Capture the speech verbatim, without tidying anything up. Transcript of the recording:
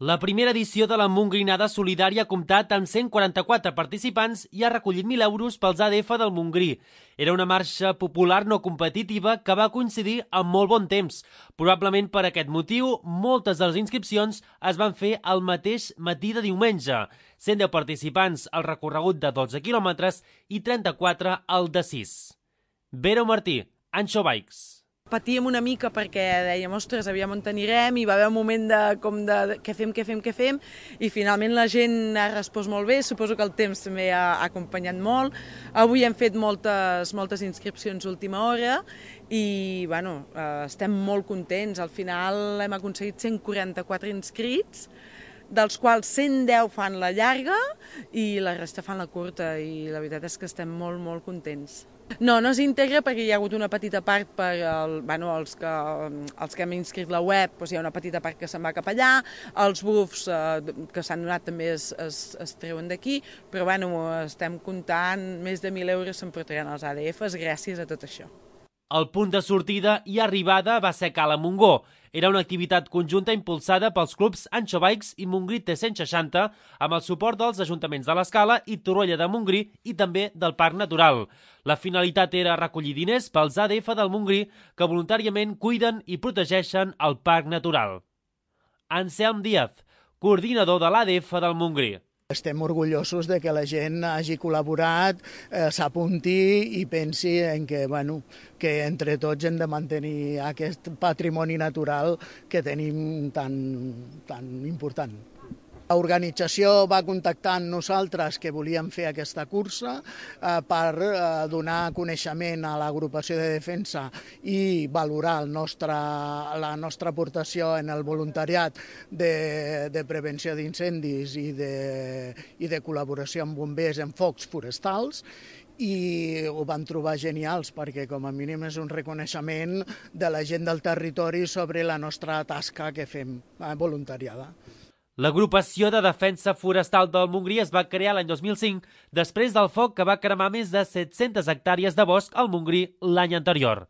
La primera edició de la Montgrinada Solidària ha comptat amb cent quaranta-quatre participants i ha recollit mil euros pels A D F del Montgrí. Era una marxa popular no competitiva que va coincidir amb molt bon temps. Probablement per aquest motiu, moltes de les inscripcions es van fer el mateix matí de diumenge. cent deu participants al recorregut de dotze quilòmetres i trenta-quatre al de sis. Vera Martí, Anxo Bikes. Patíem una mica perquè dèiem, ostres, aviam on anirem, i va haver un moment de, com de, de què fem, què fem, què fem, i finalment la gent ha respost molt bé, suposo que el temps també ha, ha acompanyat molt. Avui hem fet moltes, moltes inscripcions última hora i bueno, eh, estem molt contents. Al final hem aconseguit cent quaranta-quatre inscrits, dels quals cent deu fan la llarga i la resta fan la curta, i la veritat és que estem molt, molt contents. No, no s'integra perquè hi ha hagut una petita part per el, bueno, els, que, els que hem inscrit la web, doncs hi ha una petita part que se'n va cap allà, els bufs eh, que s'han donat també es, es, es treuen d'aquí, però bueno, estem comptant, més de mil euros s'emportaran els A D Fs gràcies a tot això. El punt de sortida i arribada va ser Cala Montgó. Era una activitat conjunta impulsada pels clubs Anxo Bikes i Montgrí T cent seixanta amb el suport dels ajuntaments de l'Escala i Torroella de Montgrí i també del Parc Natural. La finalitat era recollir diners pels A D F del Montgrí que voluntàriament cuiden i protegeixen el Parc Natural. Anselm Díaz, coordinador de l'A D F del Montgrí. Estem orgullosos de que la gent hagi col·laborat, eh, s'apunti i pensi en que, bueno, que entre tots hem de mantenir aquest patrimoni natural que tenim tan, tan important. L'organització va contactar amb nosaltres que volíem fer aquesta cursa eh, per eh, donar coneixement a l'agrupació de defensa i valorar el nostre, la nostra aportació en el voluntariat de, de prevenció d'incendis i, de, i de col·laboració amb bombers en focs forestals, i ho van trobar genials perquè com a mínim és un reconeixement de la gent del territori sobre la nostra tasca que fem eh, voluntariada. L'agrupació de defensa forestal del Montgrí es va crear l'any dos mil cinc després del foc que va cremar més de set-centes hectàrees de bosc al Montgrí l'any anterior.